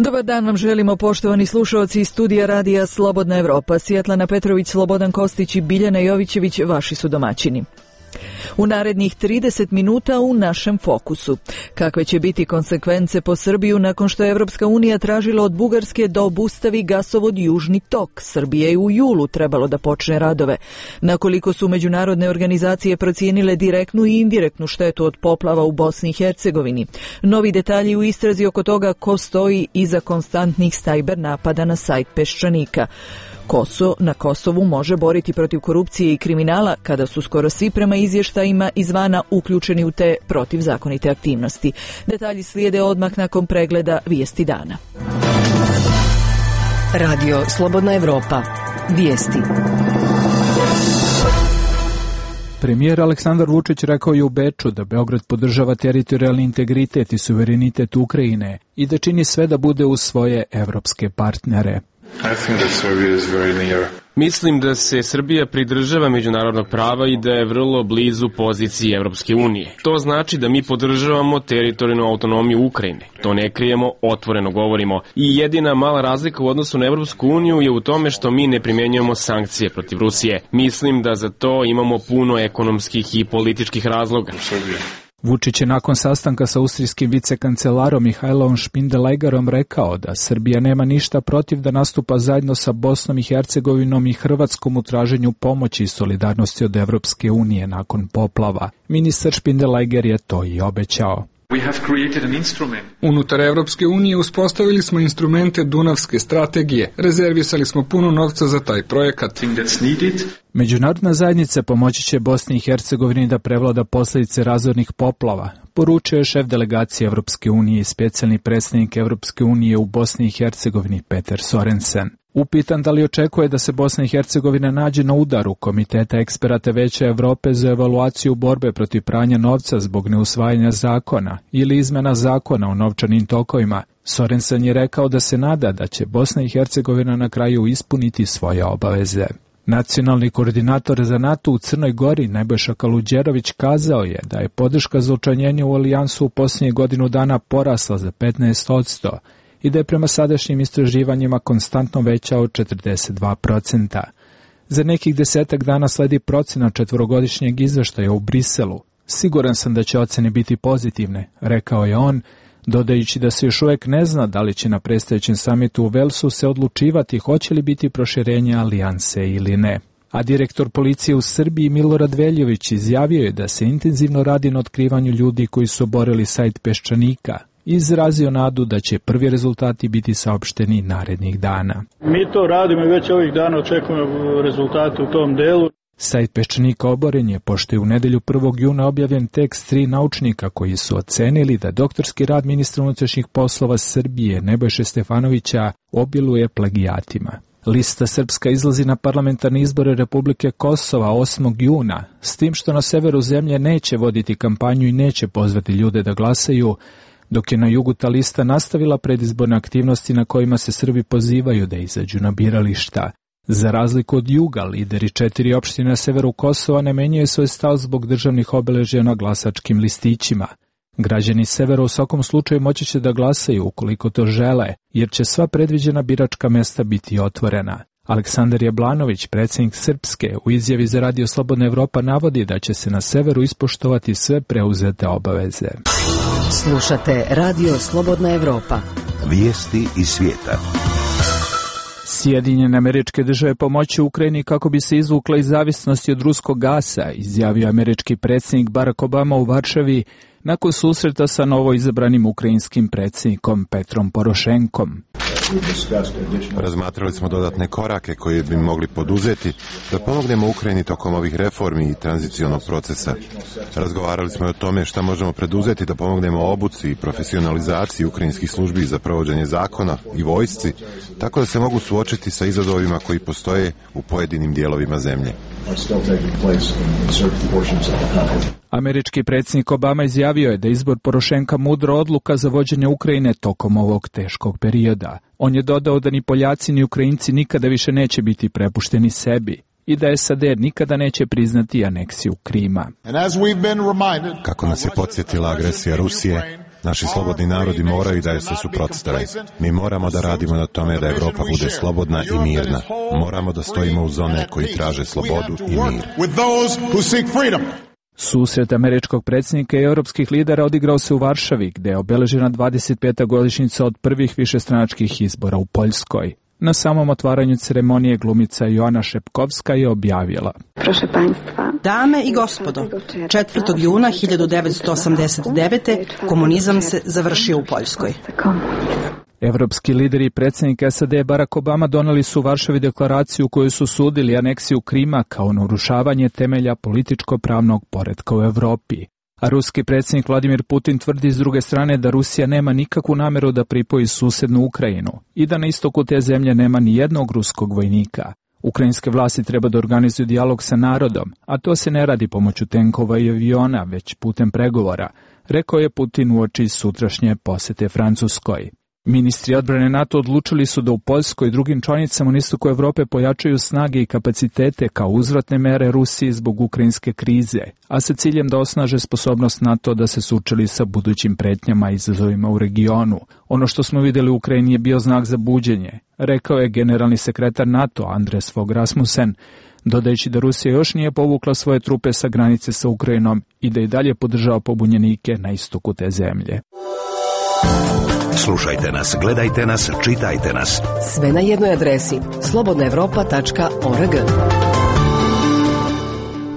Dobar dan vam želimo, poštovani slušalci iz studija radija Slobodna Evropa. Sjetlana Petrović, Slobodan Kostić i Biljana Jovićević vaši su domaćini. U narednih 30 minuta u našem fokusu. Kakve će biti konsekvence po Srbiju nakon što je Evropska unija tražila od Bugarske da obustavi gasovod Južni tok? Srbija je u julu trebalo da počne radove. Nakoliko su međunarodne organizacije procijenile direktnu i indirektnu štetu od poplava u Bosni i Hercegovini? Novi detalji u istrazi oko toga ko stoji iza konstantnih sajber napada na sajt Peščanika. Ko se na Kosovu može boriti protiv korupcije i kriminala kada su skoro svi prema izvještajima izvana uključeni u te protivzakonite aktivnosti. Detalji slijede odmah nakon pregleda vijesti dana. Radio Slobodna Evropa. Vijesti. Premijer Aleksandar Vučić rekao je u Beču da Beograd podržava teritorijalni integritet i suverenitet Ukrajine i da čini sve da bude uz svoje evropske partnere. Mislim da se Srbija pridržava međunarodnog prava i da je vrlo blizu poziciji Evropske unije. To znači da mi podržavamo teritorijalnu autonomiju Ukrajine. To ne krijemo, otvoreno govorimo. I jedina mala razlika u odnosu na Evropsku uniju je u tome što mi ne primjenjujemo sankcije protiv Rusije. Mislim da za to imamo puno ekonomskih i političkih razloga. Vučić je nakon sastanka sa austrijskim vicekancelarom Mihajlom Špindelegarom rekao da Srbija nema ništa protiv da nastupa zajedno sa Bosnom i Hercegovinom i Hrvatskom u traženju pomoći i solidarnosti od Evropske unije nakon poplava. Ministar Špindelegar je to i obećao. Unutar Evropske unije uspostavili smo instrumente Dunavske strategije. Rezervisali smo puno novca za taj projekat. Međunarodna zajednica pomoći će Bosni i Hercegovini da prevlada posljedice razornih poplava, poručio je šef delegacije Evropske unije i specijalni predstavnik Evropske unije u Bosni i Hercegovini Peter Sorensen. Upitan da li očekuje da se Bosna i Hercegovina nađe na udaru Komiteta eksperata Veća Evrope za evaluaciju borbe protiv pranja novca zbog neusvajanja zakona ili izmena zakona o novčanim tokovima, Sorensen je rekao da se nada da će Bosna i Hercegovina na kraju ispuniti svoje obaveze. Nacionalni koordinator za NATO u Crnoj Gori Nebojša Kaluđerović kazao je da je podrška za učlanjenje u alijansu u posljednjih godinu dana porasla za 15% i da je prema sadašnjim istraživanjima konstantno veća od 42%. Za nekih 10 dana sledi procena četvorogodišnjeg izveštaja u Briselu. Siguran sam da će ocene biti pozitivne, rekao je on, dodajući da se još uvijek ne zna da li će na predstojećem samitu u Velsu se odlučivati hoće li biti proširenje alijanse ili ne. A direktor policije u Srbiji Milorad Veljović izjavio je da se intenzivno radi na otkrivanju ljudi koji su oborili sajt Peščanika i izrazio nadu da će prvi rezultati biti saopšteni narednih dana. Mi to radimo i već ovih dana očekujemo rezultate u tom delu. Sajt Peščanika oboren je, pošto je u nedelju 1. juna objavljen tekst 3 naučnika koji su ocenili da doktorski rad ministra unutrašnjih poslova Srbije Nebojše Stefanovića obiluje plagijatima. Lista Srpska izlazi na parlamentarne izbore Republike Kosova 8. juna, s tim što na severu zemlje neće voditi kampanju i neće pozvati ljude da glasaju, dok je na jugu ta lista nastavila predizborne aktivnosti na kojima se Srbi pozivaju da izađu na birališta. Za razliku od juga, lideri 4 opštine na severu Kosova ne menjaju svoj stav zbog državnih obeležja na glasačkim listićima. Građani severa u svakom slučaju moći će da glasaju ukoliko to žele, jer će sva predviđena biračka mesta biti otvorena. Aleksandar Jablanović, predsjednik Srpske, u izjavi za Radio Slobodna Evropa navodi da će se na severu ispoštovati sve preuzete obaveze. Slušate Radio Slobodna Evropa. Vijesti iz svijeta. Sjedinjene Američke Države pomoći Ukrajini kako bi se izvukla iz zavisnosti od ruskog gasa, izjavio američki predsjednik Barack Obama u Varšavi nakon susreta sa novoizabranim ukrajinskim predsjednikom Petrom Porošenkom. Razmatrali smo dodatne korake koje bi mogli poduzeti da pomognemo Ukrajini tokom ovih reformi i tranzicionog procesa. Razgovarali smo i o tome šta možemo preduzeti da pomognemo obuci i profesionalizaciji ukrajinskih službi za provođenje zakona i vojsci, tako da se mogu suočiti sa izazovima koji postoje u pojedinim dijelovima zemlje. Američki predsjednik Obama izjavio je da izbor Porošenka mudra odluka za vođenje Ukrajine tokom ovog teškog perioda. On je dodao da ni Poljaci ni Ukrajinci nikada više neće biti prepušteni sebi i da SAD nikada neće priznati aneksiju Krima. Kako nas je podsjetila agresija Rusije, Naši slobodni narodi moraju da je se suprotstave. Mi moramo da radimo na tome da Evropa bude slobodna i mirna. Moramo da stojimo uz one koji traže slobodu i mir. Susret američkog predsjednika i europskih lidera odigrao se u Varšavi, gde je obeležena 25. godišnjica od prvih višestranačkih izbora u Poljskoj. Na samom otvaranju ceremonije glumica Joana Šepkovska je objavila: Dame i gospodo, 4. juna 1989. komunizam se završio u Poljskoj. Evropski lideri i predsjednik SAD Barack Obama doneli su u Varšavi deklaraciju u kojoj su sudili aneksiju Krima kao narušavanje temelja političko-pravnog poretka u Evropi. A ruski predsjednik Vladimir Putin tvrdi s druge strane da Rusija nema nikakvu nameru da pripoji susednu Ukrajinu i da na istoku te zemlje nema ni jednog ruskog vojnika. Ukrajinske vlasti treba da organizuju dijalog sa narodom, a to se ne radi pomoću tenkova i aviona, već putem pregovora, rekao je Putin uoči sutrašnje posete Francuskoj. Ministri odbrane NATO odlučili su da u Poljskoj i drugim članicama na istoku Evrope pojačaju snage i kapacitete kao uzvratne mere Rusiji zbog ukrajinske krize, a sa ciljem da osnaže sposobnost NATO da se sučeli sa budućim pretnjama i izazovima u regionu. Ono što smo vidjeli u Ukrajini je bio znak za buđenje, rekao je generalni sekretar NATO Andres Fogh Rasmussen, dodajući da Rusija još nije povukla svoje trupe sa granice sa Ukrajinom i da i dalje podržava pobunjenike na istoku te zemlje. Slušajte nas, gledajte nas, čitajte nas. Sve na jednoj adresi slobodnaevropa.org.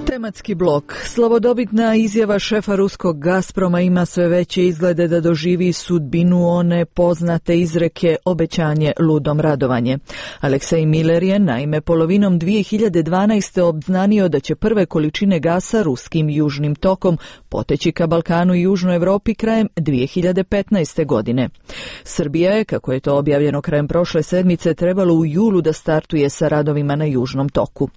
Tematski blok. Slavodobitna izjava šefa ruskog Gazproma ima sve veće izglede da doživi sudbinu one poznate izreke obećanje ludom radovanje. Aleksej Miller je naime polovinom 2012. obznanio da će prve količine gasa ruskim južnim tokom poteći ka Balkanu i Južnoj Evropi krajem 2015. godine. Srbija je, kako je to objavljeno krajem prošle sedmice, trebalo u julu da startuje sa radovima na Južnom toku.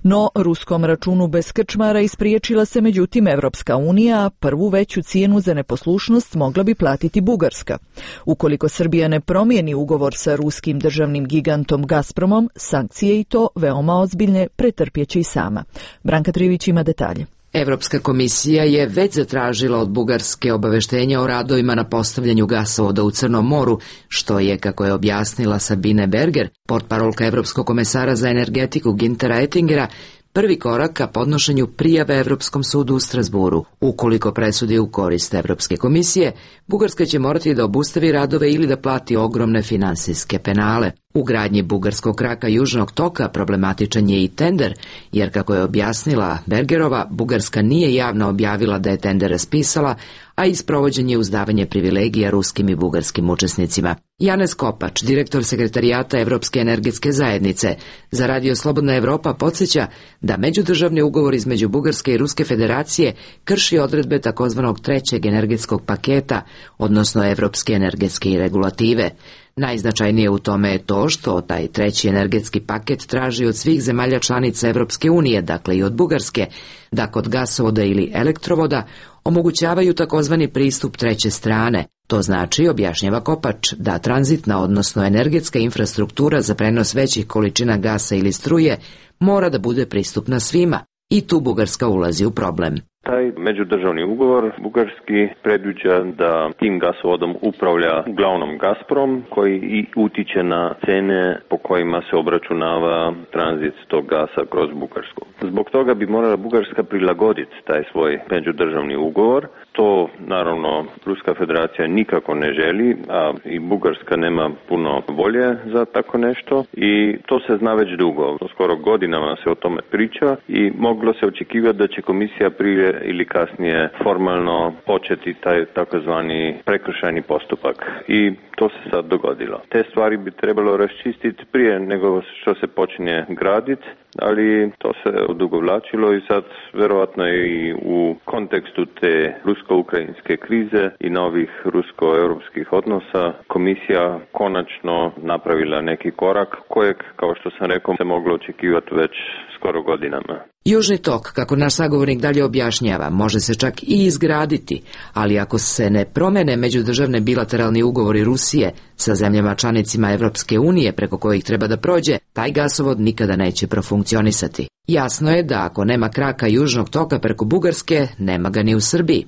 No, ruskom računu bez krčmara ispriječila se međutim Evropska unija, a prvu veću cijenu za neposlušnost mogla bi platiti Bugarska. Ukoliko Srbija ne promijeni ugovor sa ruskim državnim gigantom Gazpromom, sankcije i to veoma ozbiljne pretrpjeće i sama. Branka Trivić ima detalje. Evropska komisija je već zatražila od Bugarske obaveštenja o radovima na postavljanju gasovoda u Crnom moru, što je, kako je objasnila Sabine Berger, portparolka Evropskog komesara za energetiku Günthera Oettingera, prvi korak ka podnošenju prijave Evropskom sudu u Strasburu. Ukoliko presudi u korist Evropske komisije, Bugarska će morati da obustavi radove ili da plati ogromne finansijske penale. U gradnji bugarskog kraka Južnog toka problematičan je i tender, jer, kako je objasnila Bergerova, Bugarska nije javno objavila da je tender raspisala, a i sprovođenje uzdavanje privilegija ruskim i bugarskim učesnicima. Janez Kopač, direktor sekretarijata Evropske energetske zajednice, za Radio Slobodna Evropa podsjeća da međudržavni ugovor između Bugarske i Ruske federacije krši odredbe takozvanog trećeg energetskog paketa, odnosno Evropske energetske regulative. Najznačajnije u tome je to što taj treći energetski paket traži od svih zemalja članica Evropske unije, dakle i od Bugarske, da kod gasovoda ili elektrovoda omogućavaju takozvani pristup treće strane. To znači, objašnjava Kopač, da tranzitna, odnosno energetska infrastruktura za prenos većih količina gasa ili struje mora da bude pristupna svima. I tu Bugarska ulazi u problem. Taj međudržavni ugovor bugarski predviđa da tim gasovodom upravlja uglavnom Gazprom, koji i utiče na cene po kojima se obračunava tranzit tog gasa kroz Bugarsku. Zbog toga bi morala Bugarska prilagoditi taj svoj međudržavni ugovor. To, naravno, Ruska federacija nikako ne želi, a i Bugarska nema puno volje za tako nešto i to se zna već dugo. Skoro godinama se o tome priča i moglo se očekivati da će komisija prije ili kasnije formalno početi taj takozvani prekršajni postupak. I to se sad dogodilo. Te stvari bi trebalo raščistiti prije nego što se počne graditi, ali to se odugovlačilo i sad verovatno i u kontekstu te rusko-ukrajinske krize i novih rusko-europskih odnosa komisija konačno napravila neki korak kojeg, kao što sam rekao, se moglo očekivati već skoro godinama. Južni tok, kako naš sagovornik dalje objašnjava, može se čak i izgraditi, ali ako se ne promene međudržavne bilateralni ugovori Rusije sa zemljama članicima Evropske unije preko kojih treba da prođe, taj gasovod nikada neće profunkcionisati. Jasno je da ako nema kraka Južnog toka preko Bugarske, nema ga ni u Srbiji.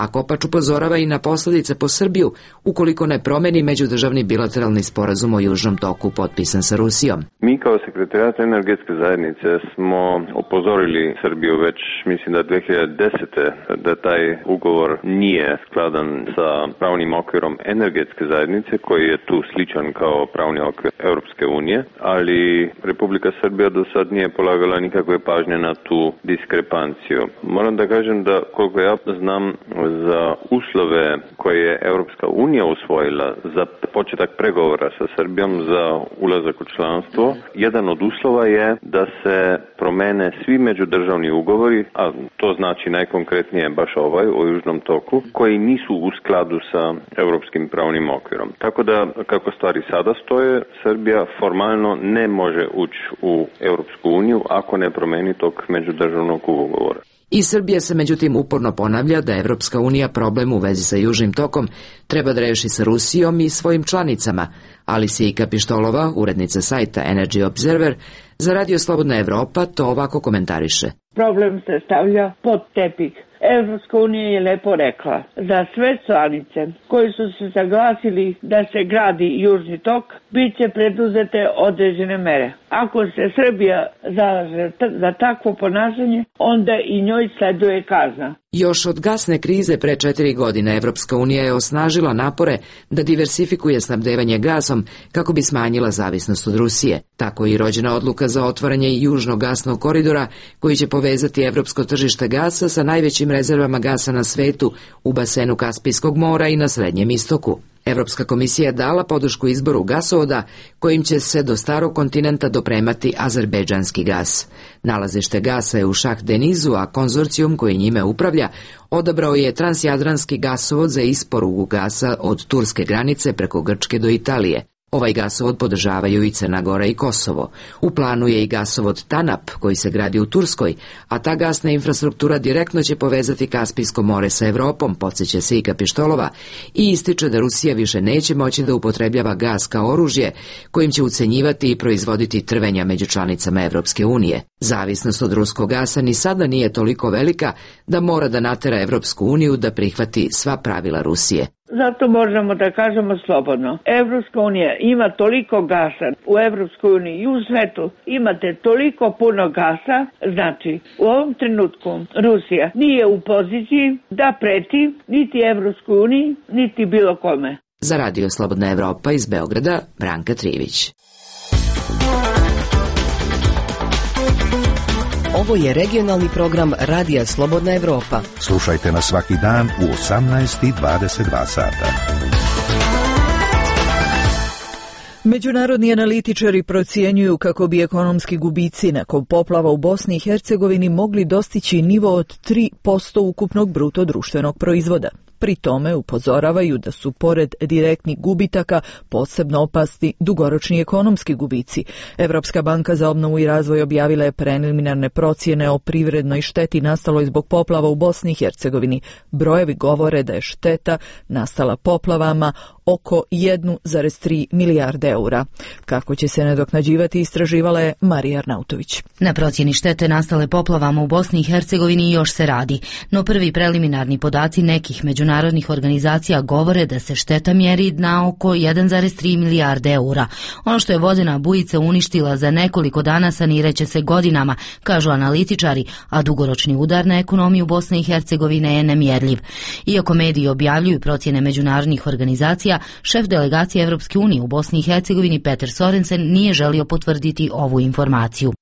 a Kopač upozorava i na posljedice po Srbiju ukoliko ne promeni međudržavni bilateralni sporazum o Južnom toku potpisan sa Rusijom. Mi kao sekretarijat energetske zajednice smo upozorili Srbiju već, mislim da 2010. da taj ugovor nije skladan sa pravnim okvirom energetske zajednice koji je tu sličan kao pravni okvir Europske unije, ali Republika Srbija do sad nije polagala nikakve pažnje na tu diskrepanciju. Moram da kažem da koliko ja znam za uslove koje je Europska unija usvojila za početak pregovora sa Srbijom za ulazak u članstvo, jedan od uslova je da se promene svi međudržavni ugovori, a to znači najkonkretnije baš ovaj o Južnom toku, koji nisu u skladu sa europskim pravnim okvirom. Tako da, kako stvari sada stoje, Srbija formalno ne može ući u Europsku uniju ako ne promeni tog međudržavnog ugovora. I Srbija se međutim uporno ponavlja da Evropska unija problem u vezi sa Južnim tokom treba da reši sa Rusijom i svojim članicama. Alisija Pištolova, urednica sajta Energy Observer, za Radio Slobodna Evropa to ovako komentariše. Problem se stavlja pod tepih. Evropska unija je lepo rekla za sve članice koji su se saglasili da se gradi Južni tok, bit će preduzete određene mere. Ako se Srbija zalaže za takvo ponašanje, onda i njoj sleduje kazna. Još od gasne krize pre 4 godine Evropska unija je osnažila napore da diversifikuje snabdevanje gasom kako bi smanjila zavisnost od Rusije. Tako je i rođena odluka za otvaranje južnog gasnog koridora koji će povezati evropsko tržište gasa sa najvećim rezervama gasa na svetu u basenu Kaspijskog mora i na Srednjem istoku. Evropska komisija je dala podršku izboru gasovoda kojim će se do starog kontinenta dopremati azerbejdžanski gas. Nalazište gasa je u Šah Denizu, a konzorcijum koji njime upravlja odabrao je transjadranski gasovod za isporuku gasa od turske granice preko Grčke do Italije. Ovaj gasovod podržavaju i Crna Gora i Kosovo. U planu je i gasovod TANAP koji se gradi u Turskoj, a ta gasna infrastruktura direktno će povezati Kaspijsko more sa Evropom, podsjeća se Ika Pištolova, i ističe da Rusija više neće moći da upotrebljava gas kao oružje kojim će ucenjivati i proizvoditi trvenja među članicama Evropske unije. Zavisnost od ruskog gasa ni sada nije toliko velika da mora da natera Evropsku uniju da prihvati sva pravila Rusije. Zato možemo da kažemo slobodno. Evropska unija ima toliko gasa u Evropskoj uniji i u svetu. Imate toliko puno gasa, znači u ovom trenutku Rusija nije u poziciji da preti niti Evropskoj uniji, niti bilo kome. Za Radio Slobodna Evropa iz Beograda, Branka Trivić. Ovo je regionalni program Radija Slobodna Evropa. Slušajte nas svaki dan u 18:22 sata. Međunarodni analitičari procjenjuju kako bi ekonomski gubici nakon poplava u Bosni i Hercegovini mogli dostići nivo od 3% ukupnog bruto društvenog proizvoda. Pri tome upozoravaju da su pored direktnih gubitaka posebno opasni dugoročni ekonomski gubici. Evropska banka za obnovu i razvoj objavila je preliminarne procjene o privrednoj šteti nastaloj zbog poplava u Bosni i Hercegovini. Brojevi govore da je šteta nastala poplavama oko 1,3 milijarde eura. Kako će se nadoknađivati istraživala je Marija Arnautović. Na procjeni štete nastale poplavama u Bosni i Hercegovini još se radi, no prvi preliminarni podaci nekih međunarodnih organizacija govore da se šteta mjeri na oko 1,3 milijarde eura. Ono što je vodena bujica uništila za nekoliko dana sanireće se godinama, kažu analitičari, a dugoročni udar na ekonomiju Bosne i Hercegovine je nemjerljiv. Iako mediji objavljuju procjene međunarodnih organizacija, šef delegacije Evropske unije u Bosni i Hercegovini Peter Sorensen nije želio potvrditi ovu informaciju.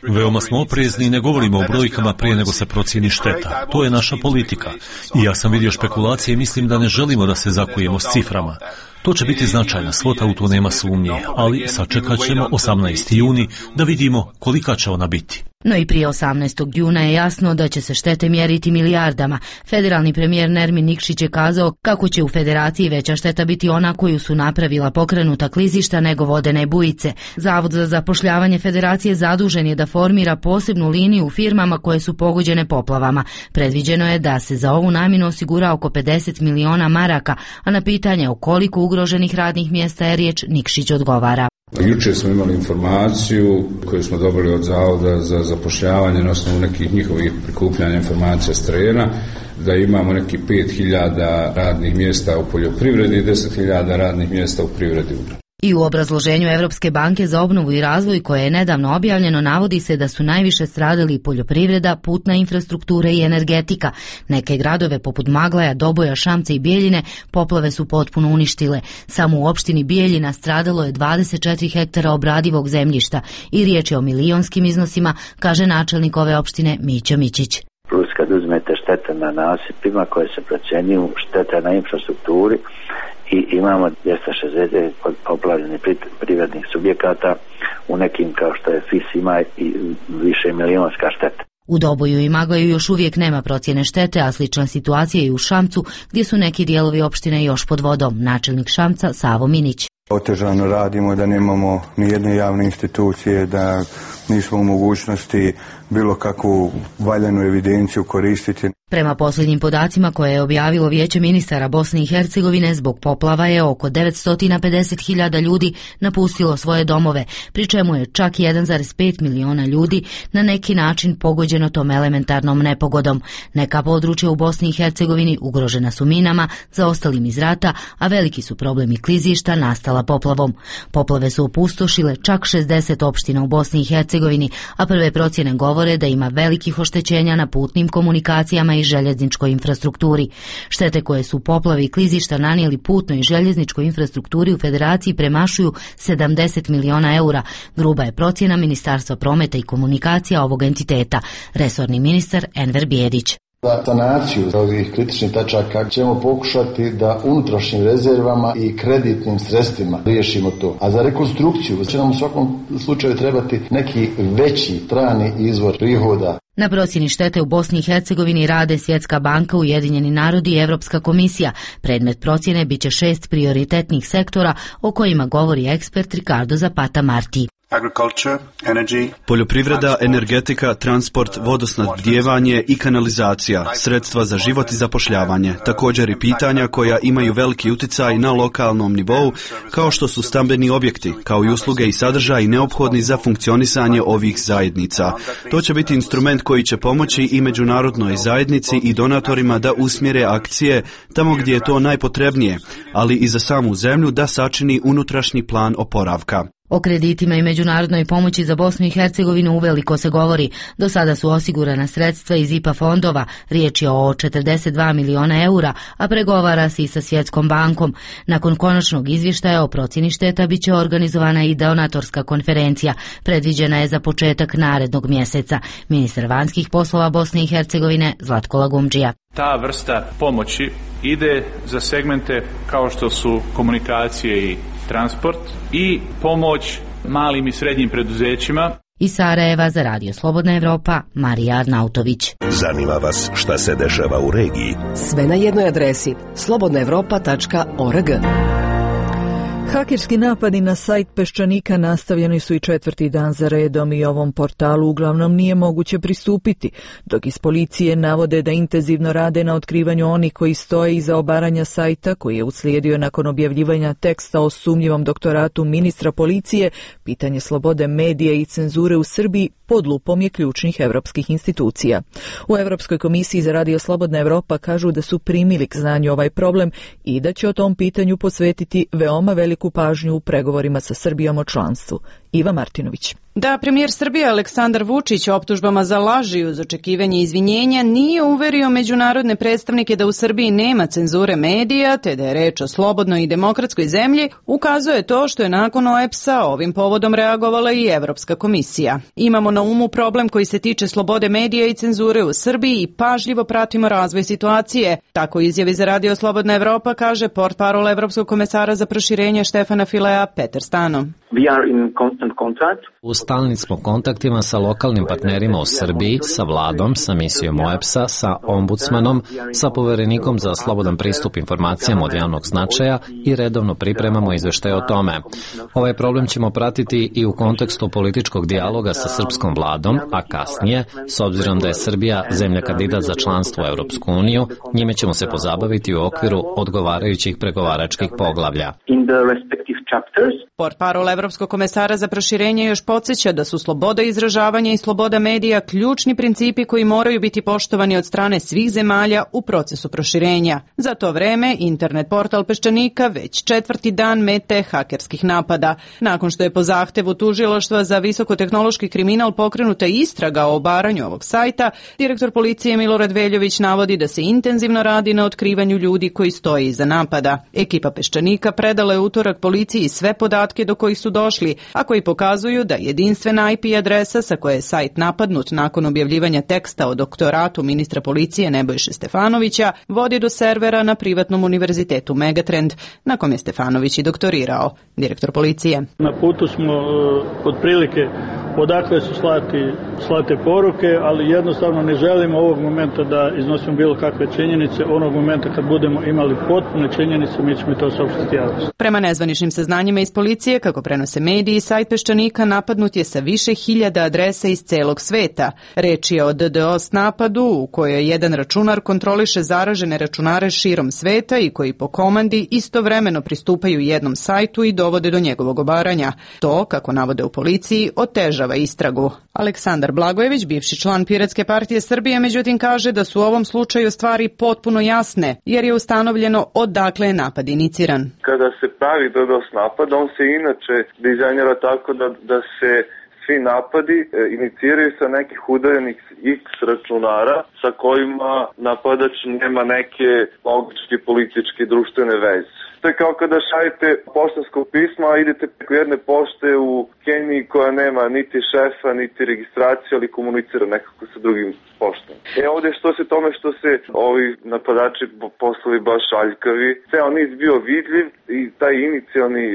Veoma smo oprezni i ne govorimo o brojkama prije nego se procijeni šteta. To je naša politika. I ja sam vidio špekulacije i mislim da ne želimo da se zakujemo s ciframa. To će biti značajna svota, u to nema sumnje, ali sačekat ćemo 18. juni da vidimo kolika će ona biti. No i prije 18. juna je jasno da će se štete mjeriti milijardama. Federalni premijer Nermin Nikšić je kazao kako će u federaciji veća šteta biti ona koju su napravila pokrenuta klizišta nego vodene bujice. Zavod za zapošljavanje federacije zadužen je da formira posebnu liniju u firmama koje su pogođene poplavama. Predviđeno je da se za ovu namjenu osigura oko 50 miliona maraka, a na pitanje o koliko ugroženih radnih mjesta je riječ, Nikšić odgovara. Jučer smo imali informaciju koju smo dobili od Zavoda za zapošljavanje na osnovu nekih njihovih prikupljanja informacija s terena, da imamo neki 5.000 radnih mjesta u poljoprivredi i 10.000 radnih mjesta u privredi. I u obrazloženju Evropske banke za obnovu i razvoj koje je nedavno objavljeno navodi se da su najviše stradali poljoprivreda, putna infrastruktura i energetika. Neke gradove poput Maglaja, Doboja, Šamca i Bijeljine poplave su potpuno uništile. Samo u opštini Bijeljina stradalo je 24 hektara obradivog zemljišta i riječ je o milionskim iznosima, kaže načelnik ove opštine Mića Mićić. Plus kad uzmete štete na nasipima koje se procjenjuju, štete na infrastrukturi, i imamo 260 poplavljenih privrednih subjekata, u nekim kao što je FIS ima i više milionska šteta. U Doboju i Maglaju još uvijek nema procjene štete, a slična situacija je i u Šamcu, gdje su neki dijelovi opštine još pod vodom. Načelnik Šamca Savo Minić. Otežano radimo, da nemamo ni jedne javne institucije, da nismo u mogućnosti bilo kakvu valjanu evidenciju koristiti. Prema posljednjim podacima koje je objavilo Vijeće ministara Bosne i Hercegovine, zbog poplava je oko 950.000 ljudi napustilo svoje domove, pri čemu je čak 1,5 miliona ljudi na neki način pogođeno tom elementarnom nepogodom. Neka područja u Bosni i Hercegovini ugrožena su minama, zaostalim iz rata, a veliki su problemi klizišta nastala poplavom. Poplave su opustošile čak 60 opština u Bosni i Hercegovini, a prve procjene govore da ima velikih oštećenja na putnim komunikacijama i željezničkoj infrastrukturi. Štete koje su poplave i klizišta nanijeli putnoj i željezničkoj infrastrukturi u Federaciji premašuju 70 miliona eura. Gruba je procjena Ministarstva prometa i komunikacija ovog entiteta. Resorni ministar Enver Bijedić. Za sanaciju ovih kritičnih tačaka ćemo pokušati da unutrašnjim rezervama i kreditnim sredstvima riješimo to. A za rekonstrukciju će nam u svakom slučaju trebati neki veći strani izvor prihoda. Na procjeni štete u Bosni i Hercegovini rade Svjetska banka, Ujedinjeni narodi i Evropska komisija. Predmet procjene biće 6 prioritetnih sektora o kojima govori ekspert Ricardo Zapata Marti. Poljoprivreda, energetika, transport, vodosnabdijevanje i kanalizacija, sredstva za život i zapošljavanje, također i pitanja koja imaju veliki utjecaj na lokalnom nivou, kao što su stambeni objekti, kao i usluge i sadržaji neophodni za funkcionisanje ovih zajednica. To će biti instrument koji će pomoći i međunarodnoj zajednici i donatorima da usmjere akcije tamo gdje je to najpotrebnije, ali i za samu zemlju da sačini unutrašnji plan oporavka. O kreditima i međunarodnoj pomoći za Bosnu i Hercegovinu uveliko se govori. Do sada su osigurana sredstva iz IPA fondova, riječ je o 42 miliona eura, a pregovara se i sa Svjetskom bankom. Nakon konačnog izvještaja o procjeni šteta bit će organizovana i donatorska konferencija. Predviđena je za početak narednog mjeseca. Ministar vanjskih poslova Bosne i Hercegovine Zlatko Lagumdžija. Ta vrsta pomoći ide za segmente kao što su komunikacije i transport i pomoć malim i srednjim preduzećima. Iz Sarajeva za Radio Slobodna Evropa, Marija Arnautović. Zanima vas šta se dešava u regiji? Sve na jednoj adresi slobodnaevropa.org. Hakerski napadi na sajt Peščanika nastavljeni su i 4. dan za redom i ovom portalu uglavnom nije moguće pristupiti, dok iz policije navode da intenzivno rade na otkrivanju onih koji stoje iza obaranja sajta koji je uslijedio nakon objavljivanja teksta o sumnjivom doktoratu ministra policije. Pitanje slobode medija i cenzure u Srbiji pod lupom je ključnih evropskih institucija. U Evropskoj komisiji za Radio Slobodna Evropa kažu da su primili k znanju ovaj problem i da će o tom pitanju posvetiti veoma veliku pažnju u pregovorima sa Srbijom o članstvu. Iva Martinović. Da premijer Srbije Aleksandar Vučić optužbama za laži uz očekivanje izvinjenja nije uverio međunarodne predstavnike da u Srbiji nema cenzure medija, te da je reč o slobodnoj i demokratskoj zemlji, ukazuje to što je nakon OEBS-a ovim povodom reagovala i Evropska komisija. Imamo na umu problem koji se tiče slobode medija i cenzure u Srbiji i pažljivo pratimo razvoj situacije. Tako izjavi za Radio Slobodna Evropa kaže portparol Evropskog komesara za proširenje Štefana Filea Peter Stano. U stalnim smo kontaktima sa lokalnim partnerima u Srbiji, sa vladom, sa misijom OEBS-a, sa ombudsmanom, sa poverenikom za slobodan pristup informacijama od javnog značaja i redovno pripremamo izveštaje o tome. Ovaj problem ćemo pratiti i u kontekstu političkog dijaloga sa srpskom vladom, a kasnije, s obzirom da je Srbija zemlja kandidat za članstvo u Europsku uniju, njime ćemo se pozabaviti u okviru odgovarajućih pregovaračkih poglavlja. Portparol Evropskog komesara za proširenje još podsjeća da su sloboda izražavanja i sloboda medija ključni principi koji moraju biti poštovani od strane svih zemalja u procesu proširenja. Za to vreme, internet portal Peščanika već 4. dan mete hakerskih napada. Nakon što je po zahtevu tužilaštva za visokotehnološki kriminal pokrenuta istraga o obaranju ovog sajta, direktor policije Milorad Veljović navodi da se intenzivno radi na otkrivanju ljudi koji stoje iza napada. Ekipa Peščanika predala je utorak policiji sve podatke do kojih su došli, a koji pokazuju da jedinstvena IP adresa sa koje je sajt napadnut nakon objavljivanja teksta o doktoratu ministra policije Nebojše Stefanovića vodi do servera na privatnom univerzitetu Megatrend, na kom je Stefanović i doktorirao. Direktor policije. Na putu smo otprilike odakle su slate poruke, ali jednostavno ne želimo ovog momenta da iznosimo bilo kakve činjenice. Onog momenta kad budemo imali potpune činjenice, mi ćemo to saopštiti javnosti. Prema nezvaničnim saznanjima iz policije, kako prenose mediji, sajt Peščanika napadnut je sa više hiljada adresa iz celog sveta. Reč je o DDoS napadu u kojoj jedan računar kontroliše zaražene računare širom sveta i koji po komandi istovremeno pristupaju jednom sajtu i dovode do njegovog obaranja. To, kako navode u policiji, otežava istragu. Aleksandar Blagojević, bivši član Piratske partije Srbije, međutim kaže da su u ovom slučaju stvari potpuno jasne, jer je ustanovljeno odakle je napad iniciran. Kada se pravi DDoS napad, on se inače dizajnira tako da se svi napadi iniciraju sa nekih udaljenih X računara sa kojima napadač nema neke logičke, političke, društvene veze. To je kao kada šaljete poštansko pismo, a idete preko jedne pošte u Keniji koja nema niti šefa, niti registraciju, ali komunicira nekako sa drugim poštom. Ovdje što se tome što se ovi napadači poslali baš aljkavi, ceo niz bio vidljiv i taj inicijalni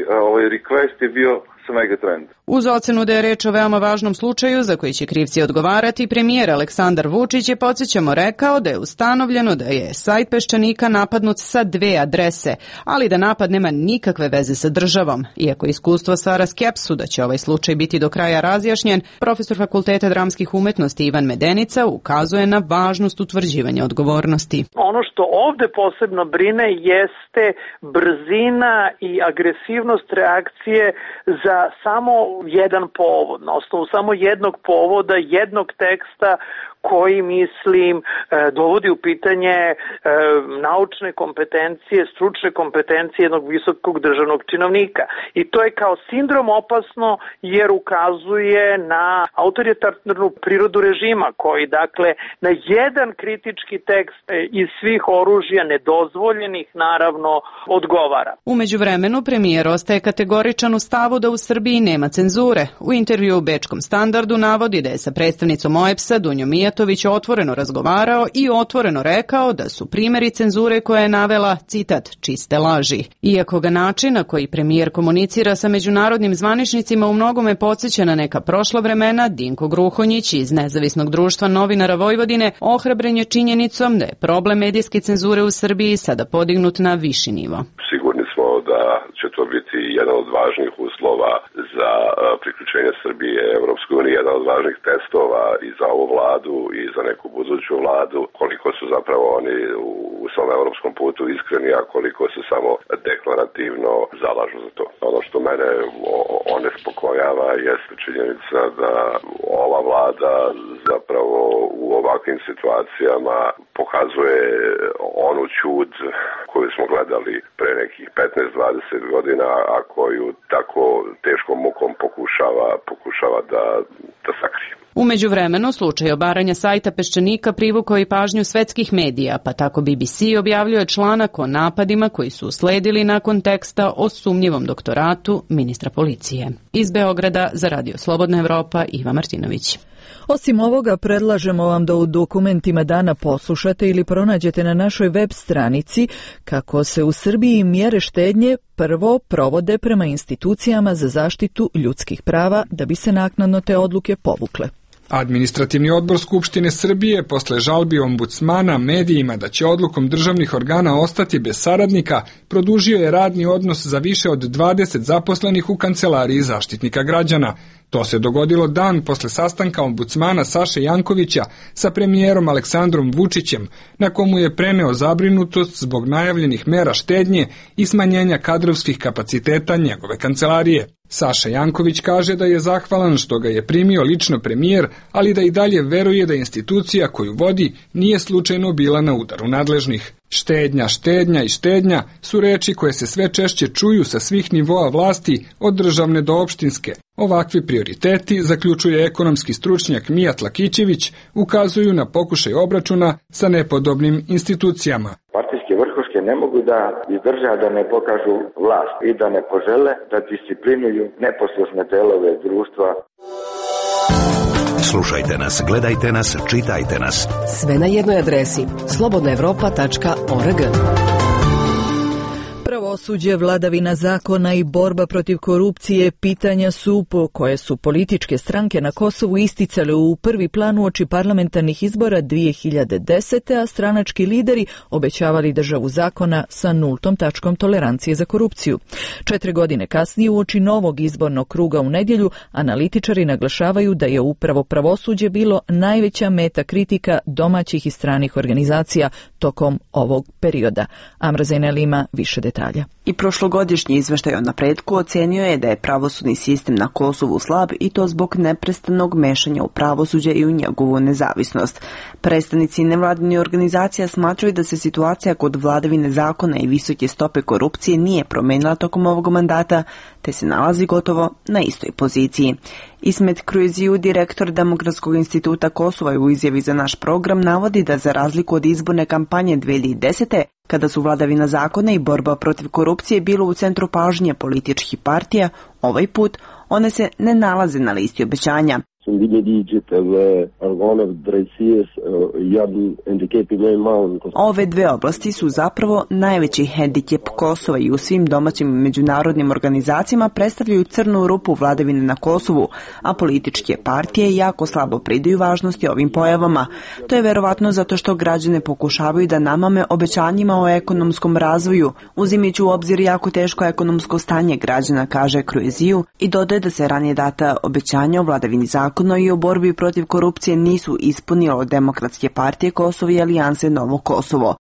request je bio sa Megatrend. Uz ocenu da je reč o veoma važnom slučaju za koji će krivci odgovarati, premijer Aleksandar Vučić je, podsjećamo, rekao da je ustanovljeno da je sajt Peščanika napadnut sa 2 adrese, ali da napad nema nikakve veze sa državom. Iako iskustvo stvara skepsu da će ovaj slučaj biti do kraja razjašnjen, profesor Fakulteta dramskih umetnosti Ivan Medenica ukazuje na važnost utvrđivanja odgovornosti. Ono što ovde posebno brine jeste brzina i agresivnost reakcije za samo jedan povod, na osnovu samo jednog povoda, jednog teksta koji, mislim, dovodi u pitanje naučne kompetencije, stručne kompetencije jednog visokog državnog činovnika. I to je kao sindrom opasno jer ukazuje na autoritarnu prirodu režima koji, dakle, na jedan kritički tekst iz svih oružja, nedozvoljenih, naravno, odgovara. U međuvremenu premijer ostaje kategoričan u stavu da u Srbiji nema cenzure. U intervju u Bečkom Standardu navodi da je sa predstavnicom OEBS-a Dunjom Mijatović otvoreno razgovarao i otvoreno rekao da su primjeri cenzure koja je navela, citat, čiste laži. Iako ga način na koji premijer komunicira sa međunarodnim zvaničnicima u mnogome podsjeća na neka prošla vremena, Dinko Gruhonjić iz Nezavisnog društva novinara Vojvodine ohrabren je činjenicom da je problem medijske cenzure u Srbiji sada podignut na viši nivo. Sigurni smo da će to biti jedan od važnih uslova za priključenje Srbije Evropskoj uniji, jedan od važnih testova i za ovu vladu i za neku buduću vladu, koliko su zapravo oni u svom evropskom putu iskreni, a koliko se samo deklarativno zalažu za to. Ono što mene onespokojava jeste činjenica da ova vlada zapravo u ovakvim situacijama pokazuje onu ćud koju smo gledali pre nekih 15-20 godina, a koju tako teškom mukom pokušava da sakrije. U međuvremenu, slučaj obaranja sajta Peščanika privukao i pažnju svetskih medija, pa tako BBC objavljuje članak o napadima koji su usledili nakon teksta o sumnjivom doktoratu ministra policije. Iz Beograda za Radio Slobodna Evropa, Iva Martinović. Osim ovoga, predlažemo vam da u dokumentima dana poslušate ili pronađete na našoj web stranici kako se u Srbiji mjere štednje prvo provode prema institucijama za zaštitu ljudskih prava da bi se naknadno te odluke povukle. Administrativni odbor Skupštine Srbije posle žalbi ombudsmana medijima da će odlukom državnih organa ostati bez saradnika, produžio je radni odnos za više od 20 zaposlenih u kancelariji Zaštitnika građana. To se dogodilo dan posle sastanka ombudsmana Saše Jankovića sa premijerom Aleksandrom Vučićem, na komu je preneo zabrinutost zbog najavljenih mera štednje i smanjenja kadrovskih kapaciteta njegove kancelarije. Saša Janković kaže da je zahvalan što ga je primio lično premijer, ali da i dalje veruje da institucija koju vodi nije slučajno bila na udaru nadležnih. Štednja, štednja i štednja su reči koje se sve češće čuju sa svih nivoa vlasti, od državne do opštinske. Ovakvi prioriteti, zaključuje ekonomski stručnjak Mijat Lakićević, ukazuju na pokušaj obračuna sa nepodobnim institucijama. Partijske vrhuške ne mogu da izdrže da ne pokažu vlast i da ne požele da disciplinuju neposlušne delove društva. Slušajte nas, gledajte nas, čitajte nas. Sve na jednoj adresi slobodnaevropa.org. Pravosuđe, vladavina zakona i borba protiv korupcije pitanja su po koje su političke stranke na Kosovu isticale u prvi plan uoči parlamentarnih izbora 2010. a stranački lideri obećavali državu zakona sa nultom tačkom tolerancije za korupciju. 4 godine kasnije uoči novog izbornog kruga u nedjelju, analitičari naglašavaju da je upravo pravosuđe bilo najveća meta kritika domaćih i stranih organizacija tokom ovog perioda. Amra Zainel ima više detalja. I prošlogodišnji izveštaj o napretku ocenio je da je pravosudni sistem na Kosovu slab i to zbog neprestanog mešanja u pravosuđe i u njegovu nezavisnost. Predstavnici nevladinih organizacija smatraju da se situacija kod vladavine zakona i visoke stope korupcije nije promenila tokom ovog mandata, te se nalazi gotovo na istoj poziciji. Ismet Kruiziju, direktor Demokratskog instituta Kosova, u izjavi za naš program navodi da za razliku od izborne kampanje 2010. kada su vladavina zakona i borba protiv korupcije bilo u centru pažnje političkih partija, ovaj put one se ne nalaze na listi obećanja. Ove dve oblasti su zapravo najveći hendikep Kosova i u svim domaćim i međunarodnim organizacijama predstavljaju crnu rupu vladavine na Kosovu, a političke partije jako slabo pridaju važnosti ovim pojavama. To je verovatno zato što građane pokušavaju da namame obećanjima o ekonomskom razvoju, uzimajući u obzir jako teško ekonomsko stanje građana, kaže Kruiziju, i dodaje da se ranije data obećanja o vladavini zakona i o borbi protiv korupcije nisu ispunilo Demokratske partije Kosova i Alijanse Novo Kosovo.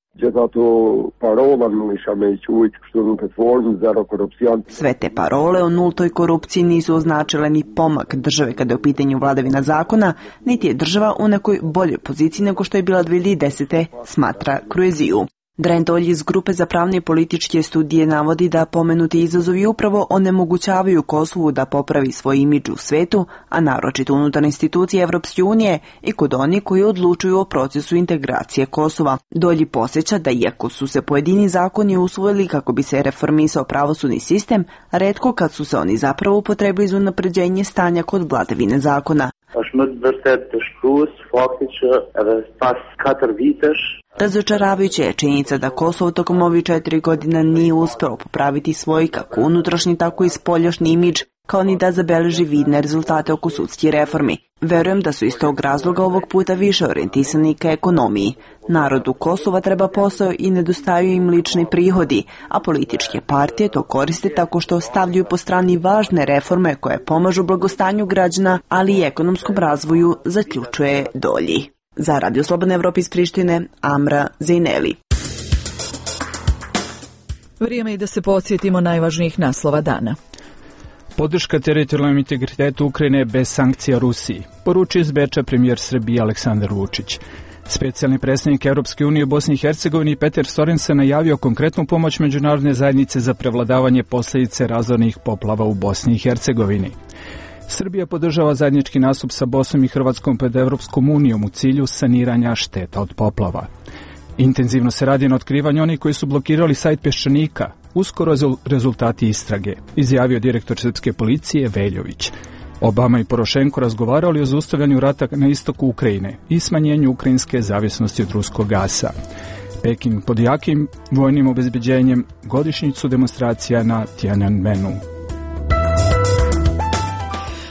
Sve te parole o nultoj korupciji nisu označile ni pomak države kada je u pitanju vladavina zakona, niti je država u nekoj boljoj poziciji nego što je bila 2010. smatra Kruiziju. Dren Dolj iz Grupe za pravne i političke studije navodi da pomenuti izazovi upravo onemogućavaju Kosovu da popravi svoj imidž u svetu, a naročito unutar institucije Evropske unije i kod onih koji odlučuju o procesu integracije Kosova. Dolji podsjeća da iako su se pojedini zakoni usvojili kako bi se reformisao pravosudni sistem, retko kad su se oni zapravo upotrebili za unapređenje stanja kod vladavine zakona. Razočaravajuća je činjenica da Kosovo tokom ovih 4 godina nije uspelo popraviti svoj kako unutrašnji tako i spoljašnji imidž, kao ni da zabeleži vidne rezultate oko sudskih reformi. Verujem da su iz tog razloga ovog puta više orijentisani ka ekonomiji. Narodu Kosova treba posao i nedostaju im lični prihodi, a političke partije to koriste tako što stavljaju po strani važne reforme koje pomažu blagostanju građana, ali i ekonomskom razvoju, zaključuje Dolji. Za Radio Slobodne Evrope iz Prištine, Amra Zaineli. Vrijeme je da se podsjetimo najvažnijih naslova dana. Podrška teritorijalnom integritetu Ukrajine bez sankcija Rusiji, poručio iz Beča premijer Srbije Aleksandar Vučić. Specijalni predstavnik Europske unije u Bosni i Hercegovini Peter Sorensen najavio konkretnu pomoć međunarodne zajednice za prevladavanje posljedice razornih poplava u Bosni i Hercegovini. Srbija podržava zajednički nastup sa Bosnom i Hrvatskom pred Europskom unijom u cilju saniranja šteta od poplava. Intenzivno se radi na otkrivanju onih koji su blokirali sajt Peščanika, uskoro rezultati istrage, izjavio direktor srpske policije Veljović. Obama i Porošenko razgovarali o zaustavljanju rata na istoku Ukrajine i smanjenju ukrajinske zavisnosti od ruskog gasa. Peking pod jakim vojnim obezbeđenjem godišnjicu demonstracija na Tiananmenu.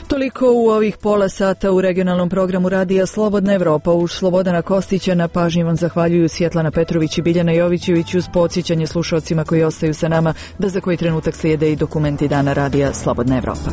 Toliko u ovih pola sata u regionalnom programu Radija Slobodna Evropa. Uz Slobodana Kostića na pažnji vam zahvaljuju Svjetlana Petrović i Biljana Jovićević, uz podsjećanje slušalcima koji ostaju sa nama da za koji trenutak slijede i dokumenti dana Radija Slobodna Evropa.